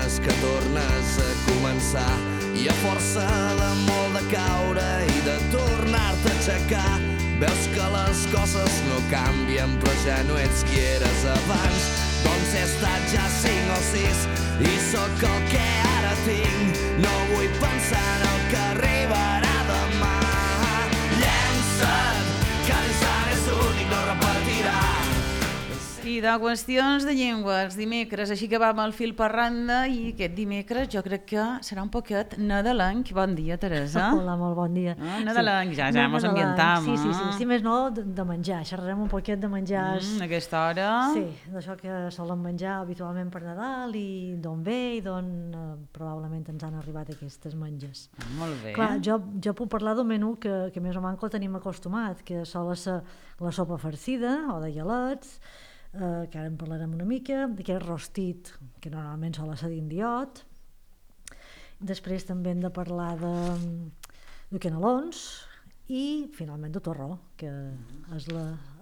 dies que tornes a començar i a força de molt de caure i de tornar-te a aixecar veus que les coses no canvien però ja no ets qui eres abans. Doncs he estat ja 5 o 6 i sóc el que ara tinc. No vull pensar en el que arribarà demà. Llença't, que l'instant és únic, no repetirà. I de qüestions de llengües, dimecres, així que vam al fil per randa i aquest dimecres jo crec que serà un poquet nadalenc. Bon dia, Teresa. Hola, molt bon dia. Nadalenc, ja ens ambientam. Sí, més no de menjar, xerrarem un poquet de menjars. Aquesta hora. Sí, d'això que solen menjar habitualment per Nadal i d'on ve i d'on probablement ens han arribat aquestes menges. Molt bé. Clar, jo puc parlar d'un menú que més o menys el tenim acostumat, que sol ser la sopa farcida o de galets, que ara en parlarem una mica, d'aquest rostit que normalment sol ser d'indiot. Després també hem de parlar de canelons i finalment de torró, que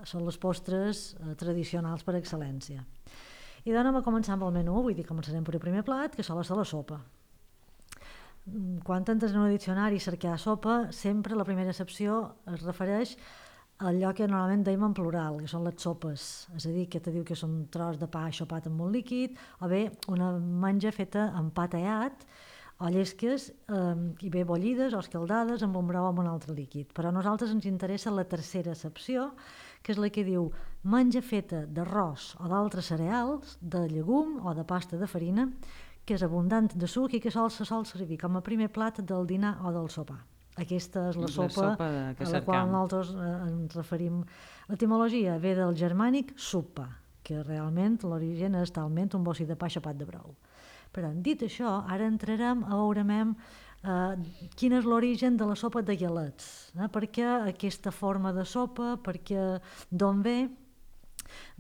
són les postres tradicionals per excel·lència. I doncs anem a començar amb el menú, vull dir, començarem per el primer plat, que sol ser la sopa. Quan entres en un diccionari a cercar sopa, sempre la primera accepció es refereix allò que normalment dèiem en plural, que són les sopes, és a dir, que te diu que és un tros de pa xopat amb molt líquid, o bé una menja feta amb pa tallat, o llesques, i bé bullides o escaldades amb un brou amb un altre líquid. Però a nosaltres ens interessa la tercera accepció, que és la que diu menja feta d'arròs o d'altres cereals, de llegum o de pasta de farina, que és abundant de suc i que se sol servir com a primer plat del dinar o del sopar. Aquesta és la sopa a la qual nosaltres ens referim. L'etimologia ve del germànic suppa, que realment l'origen és talment un bossi de pa xopat de brou. Però dit això, ara entrarem a veure quin és l'origen de la sopa de galets. Per què aquesta forma de sopa, d'on ve?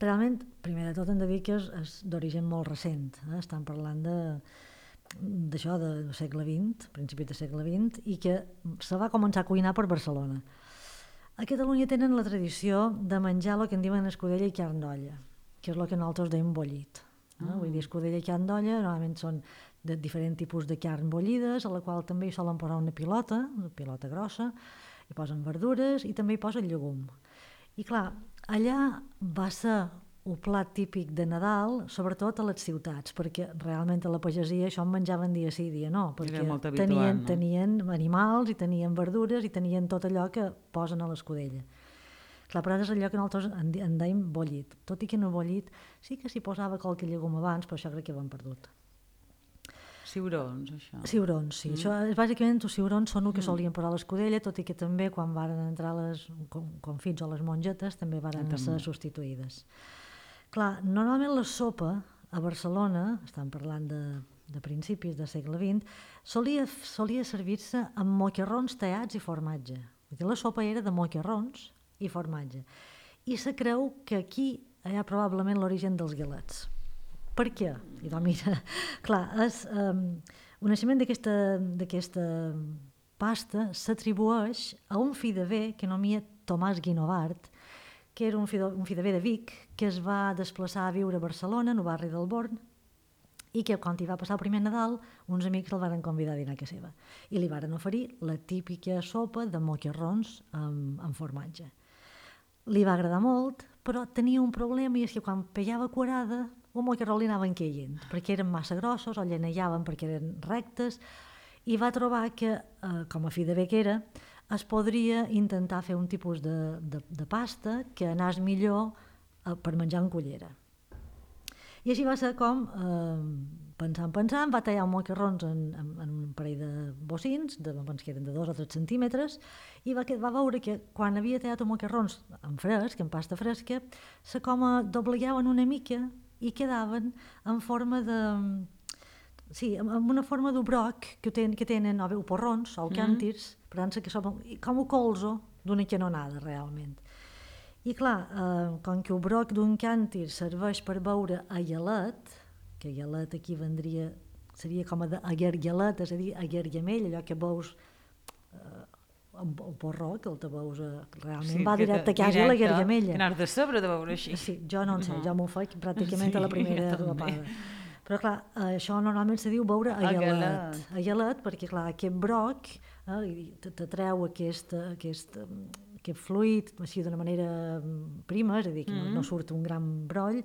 Realment, primer de tot hem de dir que és d'origen molt recent. Estan parlant d'això del segle XX, principis del segle XX, i que se va començar a cuinar per Barcelona. A Catalunya tenen la tradició de menjar el que en diuen escudella i carn d'olla, que és el que nosaltres deim bullit. Vull dir, escudella i carn d'olla normalment són de diferents tipus de carn bullides, a la qual també hi solen posar una pilota grossa, hi posen verdures i també hi posen llegum. I clar, allà va ser un plat típic de Nadal, sobretot a les ciutats, perquè realment a la pagesia això en menjaven dia sí, dia no, perquè tenien animals i tenien verdures i tenien tot allò que posen a l'escudella. Clar, però és allò que nosaltres en dèiem bullit, tot i que no bullit sí que s'hi posava qualque llegum abans, però això crec que ho hem perdut. Ciurons, això. Ciurons, sí. Això, bàsicament, els ciurons són el que solien posar a l'escudella, tot i que també quan varen entrar les confits o les mongetes també varen ser substituïdes. Clar, normalment la sopa a Barcelona, estan parlant de principis del segle XX, solia servir-se amb moquerrons tallats i formatge. Vull dir, la sopa era de moquerrons i formatge. I se creu que aquí hi ha probablement l'origen dels galets. Per què? I doncs mira, clar, el naixement d'aquesta pasta s'atribueix a un fill de bé que anomia Tomàs Guinovart, que era un fill de bé de Vic, que es va desplaçar a viure a Barcelona, en el barri del Born, i que quan hi va passar el primer Nadal, uns amics el van convidar a dinar a casa seva. I li varen oferir la típica sopa de moquerrons amb formatge. Li va agradar molt, però tenia un problema, i és que quan pegava curada, un moquerró li anaven caient, perquè eren massa grossos o llenejaven perquè eren rectes, i va trobar que, com a fill de bé que era, es podria intentar fer un tipus de pasta que anés millor per menjar en cullera. I així va ser com, pensant, va tallar moquerrons en un parell de bocins, que eren de 2 o 3 centímetres, i va veure que quan havia tallat els moquerrons en fresc, en pasta fresca, se com doblegaven una mica i quedaven en forma de... Sí, amb una forma d'obroc que tenen o bé porrons o càntirs, per tant, que són com un colzo d'una canonada, realment. I clar, com que el broc d'un càntir serveix per beure a gelet, que gelet aquí seria com a aguergelet, és a dir, aguergamell, allò que veus el porró, que el te veus realment va directe a casa a l'aguergamella. Que n'has de saber de veure així. Sí, jo no en sé, jo m'ho faig pràcticament a la primera rapada. Però clar, això normalment se diu beure aguelat, perquè clar, aquest broc t'atreu aquest fluid així d'una manera prima, és a dir, que no surt un gran broll,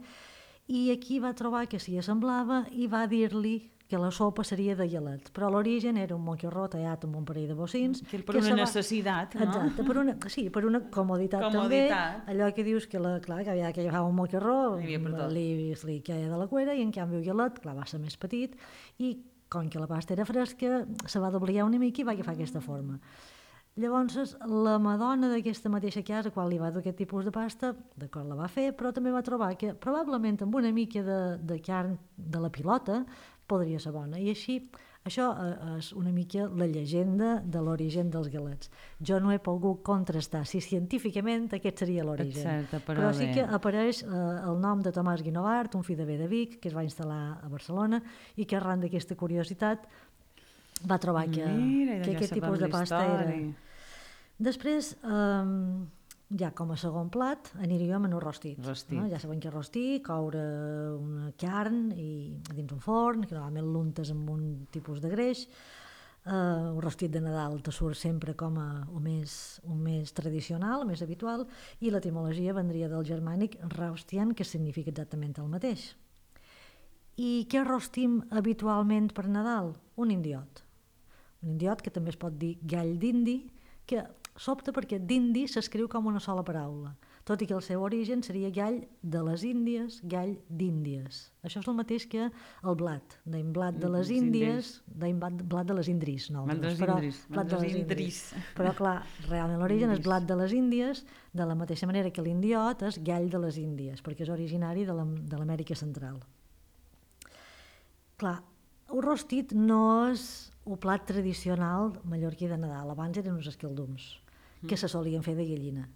i aquí va trobar que s'hi assemblava i va dir-li que la sopa seria de gelat, però a l'origen era un moquirró tallat amb un parell de bocins. Que per una necessitat, no? Exacte, per una comoditat també. Allò que dius que, clar, que agafava un moquirró, li queia de la cuera, i en canvi el gelat, clar, va ser més petit, i com que la pasta era fresca, se va dobligar una mica i va agafar aquesta forma. Llavors, la madona d'aquesta mateixa casa, quan li va dur aquest tipus de pasta, d'acord, la va fer, però també va trobar que probablement amb una mica de carn de la pilota podria ser bona. I així, això és una mica la llegenda de l'origen dels galets. Jo no he pogut contrastar si científicament aquest seria l'origen. Però sí que apareix el nom de Tomàs Guinovart, un fill de Vic, que es va instal·lar a Barcelona i que arran d'aquesta curiositat va trobar que aquest tipus de pasta era... Després, ja com a segon plat, aniríem en un rostit. Ja sabem que rostir, coure una carn dins un forn, que normalment l'untes amb un tipus de greix. Un rostit de Nadal te surt sempre com un més tradicional, més habitual, i l'etimologia vendria del germànic raustian, que significa exactament el mateix. I què rostim habitualment per Nadal? Un indiot. Un indiot que també es pot dir gall d'indi, que sobta perquè d'indi s'escriu com una sola paraula, tot i que el seu origen seria gall de les Índies, gall d'Índies. Això és el mateix que el blat, d'en blat de les Índies, d'en blat de les Indris. Però clar, realment l'origen és blat de les Índies, de la mateixa manera que l'indiot és gall de les Índies, perquè és originari de l'Amèrica Central. Clar, el rostit no és el plat tradicional mallorquí de Nadal. Abans eren uns esquildums que se solien fer de gallina,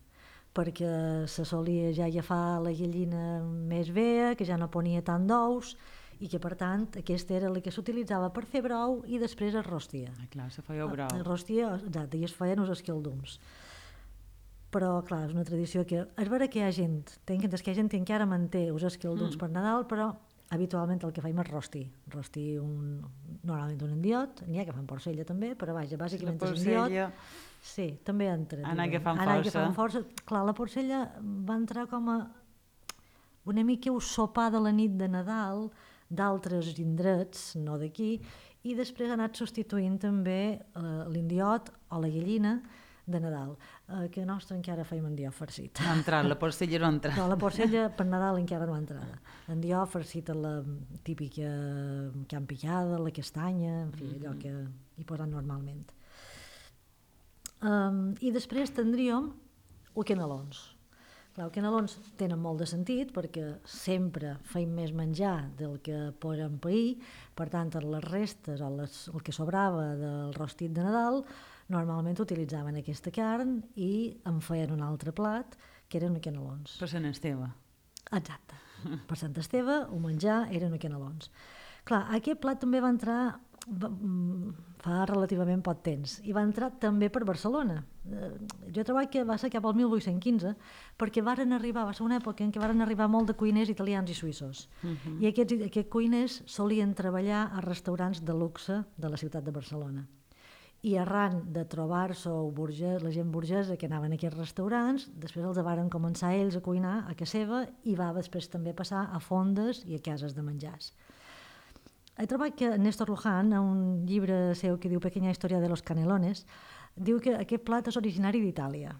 perquè se solia ja agafar la gallina més vella, que ja no ponia tant d'ous, i que per tant aquesta era la que s'utilitzava per fer brou i després es rostia. Clar, se feia brou. Es rostia, exacte, i es feien uns esquildums. Però clar, és una tradició que és vera que hi ha gent, que encara manté els esquildums per Nadal, però habitualment el que fem és rostir normalment un indiot, n'hi ha que fan porcella també, però vaja, bàsicament és indiot. Sí, també entra. Anar agafant força. Clar, la porcella va entrar com a una mica un sopar de la nit de Nadal d'altres indrets, no d'aquí, i després ha anat substituint també l'indiot o la gallina de Nadal, que a nostre encara feim endió farcit. No ha entrat, la porcella no ha entrat. No, la porcella per Nadal encara no ha entrat. Endió farcit a la típica carn picada, la castanya, en fi, allò que hi posen normalment. I després tindríem els canelons. Clar, els canelons tenen molt de sentit perquè sempre feim més menjar del que podem pair, per tant, les restes o el que sobrava del rostit de Nadal normalment utilitzaven aquesta carn i en feien un altre plat, que eren canelons. Per Sant Esteve. Exacte. Per Sant Esteve, el menjar eren canelons. Clar, aquest plat també va entrar fa relativament poc temps i va entrar també per Barcelona. Jo he trobat que va ser cap al 1815 perquè va ser una època en què van arribar molt de cuiners italians i suïssos i aquests cuiners solien treballar a restaurants de luxe de la ciutat de Barcelona. I arran de trobar-se la gent burgesa que anaven a aquests restaurants, després els varen començar ells a cuinar a casa seva i va després també passar a fondes i a cases de menjars. He trobat que Néstor Luján, en un llibre seu que diu Pequeña historia de los canelones, diu que aquest plat és originari d'Itàlia.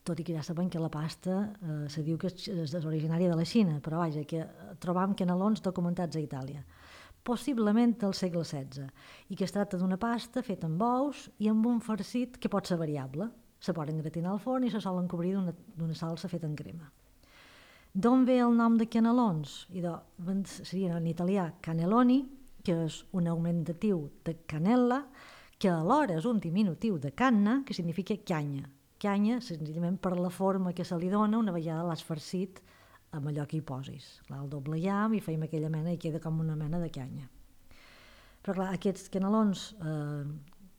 Tot i que ja sabem que la pasta se diu que és originària de la Xina, però vaja, que trobam canelons documentats a Itàlia. Possiblement del segle XVI, i que es tracta d'una pasta feta amb ous i amb un farcit que pot ser variable. Se poden gratinar al forn i se solen cobrir d'una salsa feta en crema. D'on ve el nom de canelons? Seria en italià cannelloni, que és un augmentatiu de canella, que alhora és un diminutiu de canna, que significa canya. Canya, senzillament per la forma que se li dona una vegada l'has farcit amb allò que hi posis. El doblejam i feim aquella mena i queda com una mena de canya. Però clar, aquests canelons,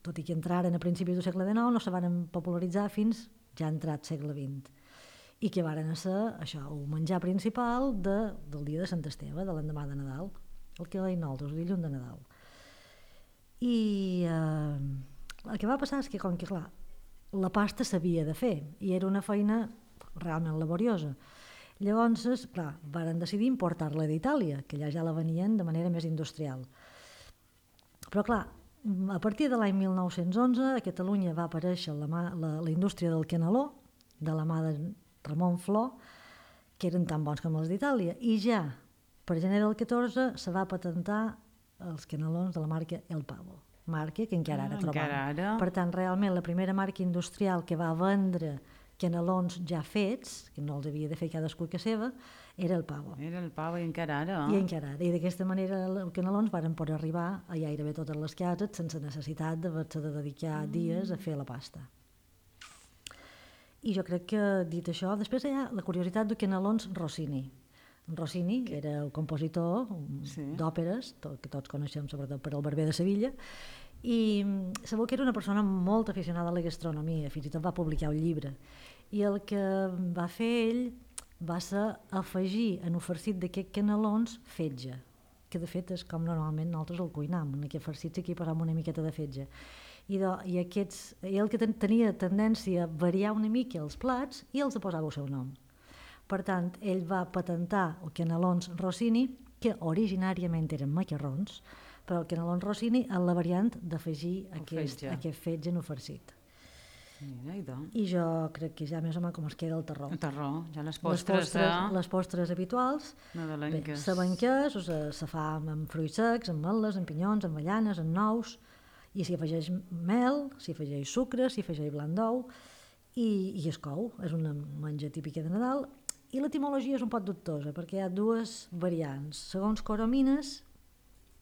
tot i que entraren a principis del segle XIX, no se van popularitzar fins ja entrat segle XX. I que varen ser això, el menjar principal del dia de Sant Esteve, de l'endemà de Nadal. el que deien nosaltres, el dilluns de Nadal. I el que va passar és que, com que clar, la pasta s'havia de fer i era una feina realment laboriosa. Llavors, clar, varen decidir importar-la d'Itàlia, que allà ja la venien de manera més industrial. Però clar, a partir de l'any 1911 a Catalunya va aparèixer la indústria del caneló, de la mà de Ramon Flor, que eren tan bons com els d'Itàlia, i ja per gener del 14 se va patentar els canelons de la marca El Pavo, marca que encara ara trobam. Per tant, realment, la primera marca industrial que va vendre canelons ja fets, que no els havia de fer cadascú que seva, era El Pavo. Era El Pavo i encara ara. I encara ara. I d'aquesta manera els canelons varen poder arribar a gairebé totes les cases sense necessitat d'haver-se de dedicar dies a fer la pasta. I jo crec que, dit això, després hi ha la curiositat de canelons Rossini. Rossini era el compositor d'òperes, que tots coneixem sobretot per El Barber de Sevilla, i sabeu que era una persona molt aficionada a la gastronomia, fins i tot va publicar un llibre. I el que va fer ell va ser afegir en un farcit d'aquests canelons fetge, que de fet és com normalment nosaltres el cuinam, en aquest farcit sí que hi posam una miqueta de fetge. I el que tenia tendència a variar una mica els plats i els posava el seu nom. Per tant, ell va patentar els canelons Rossini, que originàriament eren macarrons, però el canelons Rossini en la variant d'afegir aquest fetge en un farcit. I jo crec que ja més o menys com es queda el terró. El terró, ja les postres... Les postres habituals, sabem què és, se fa amb fruits secs, amb ametlles, amb pinyons, amb avellanes, amb nous, i s'hi afegeix mel, s'hi afegeix sucre, s'hi afegeix blanc d'ou, i es cou, és una menja típica de Nadal. I l'etimologia és un poc dubtosa, perquè hi ha dues variants. Segons Coromines,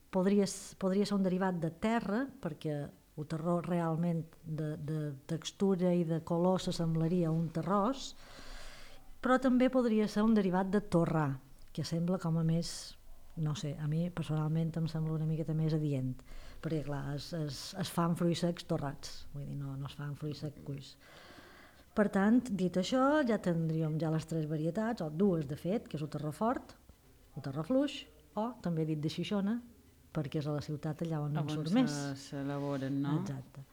podria ser un derivat de terra, perquè el terró realment de textura i de color s'assemblaria a un terrós, però també podria ser un derivat de torrà, que sembla com a més, no sé, a mi personalment em sembla una miqueta més adient, perquè clar, es fan fruits secs torrats, vull dir, no es fan fruits secs cuits. Per tant, dit això, ja tindríem ja les tres varietats, o dues de fet, que és el terró fort, el terró fluix, o també dit de Xixona, perquè és a la ciutat allà on en surt més. On s'elaboren, no? Exacte.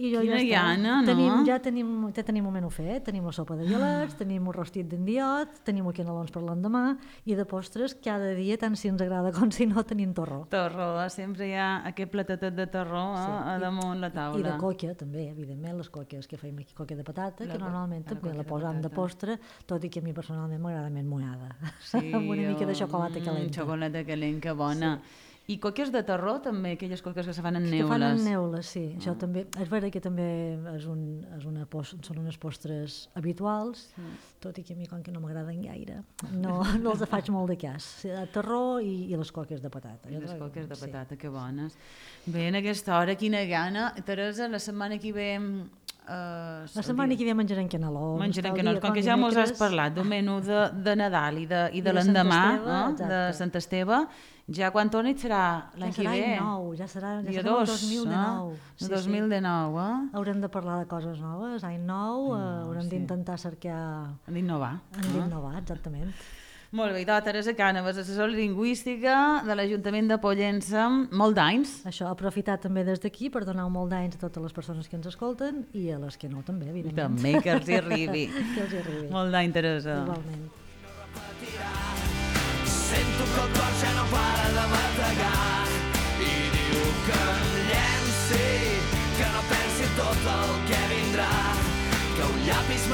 Quina llana, no? Ja tenim un menú fet, tenim la sopa de violets, tenim un rostit d'endiot, tenim els canelons per l'endemà, i de postres cada dia, tant si ens agrada com si no, tenim torró. Torró, sempre hi ha aquest platatet de torró a damunt la taula. I de coca, també, evidentment, les coques que feim aquí, coca de patata, que normalment també la posam de postre, tot i que a mi personalment m'agrada més mullada, amb una mica de xocolata calenta. Xocolata calenta, bona. I coques de terró també, aquelles coques que se fan en neules. Que fan en neules, sí. Això també, és vera que també són unes postres habituals, tot i que a mi com que no m'agraden gaire, no els faig molt de cas. Terró i les coques de patata. I les coques de patata, que bones. Bé, en aquesta hora, quina gana. Teresa, la setmana que ve... La setmana que ve menjarem canelons. Menjarem canelons, com que ja mos has parlat d'un menú de Nadal i de l'endemà, de Sant Esteve. Ja quan torni serà l'any que ve? Ja serà nou, ja serà el 2019. El 2019, Haurem de parlar de coses noves, any nou, haurem d'intentar cercar... D'innovar. D'innovar, exactament. Molt bé, Teresa Cànovas, assessora lingüística de l'Ajuntament de Pollença, molt d'anys. Això, aprofitar també des d'aquí per donar molt d'anys a totes les persones que ens escolten i a les que no també, evidentment. També, que els hi arribi. Que els hi arribi. Molt d'any, Teresa. Igualment. Sento que el cor ja no para de bategar i diu que em llenci, que no pensi tot el que vindrà, que un llapis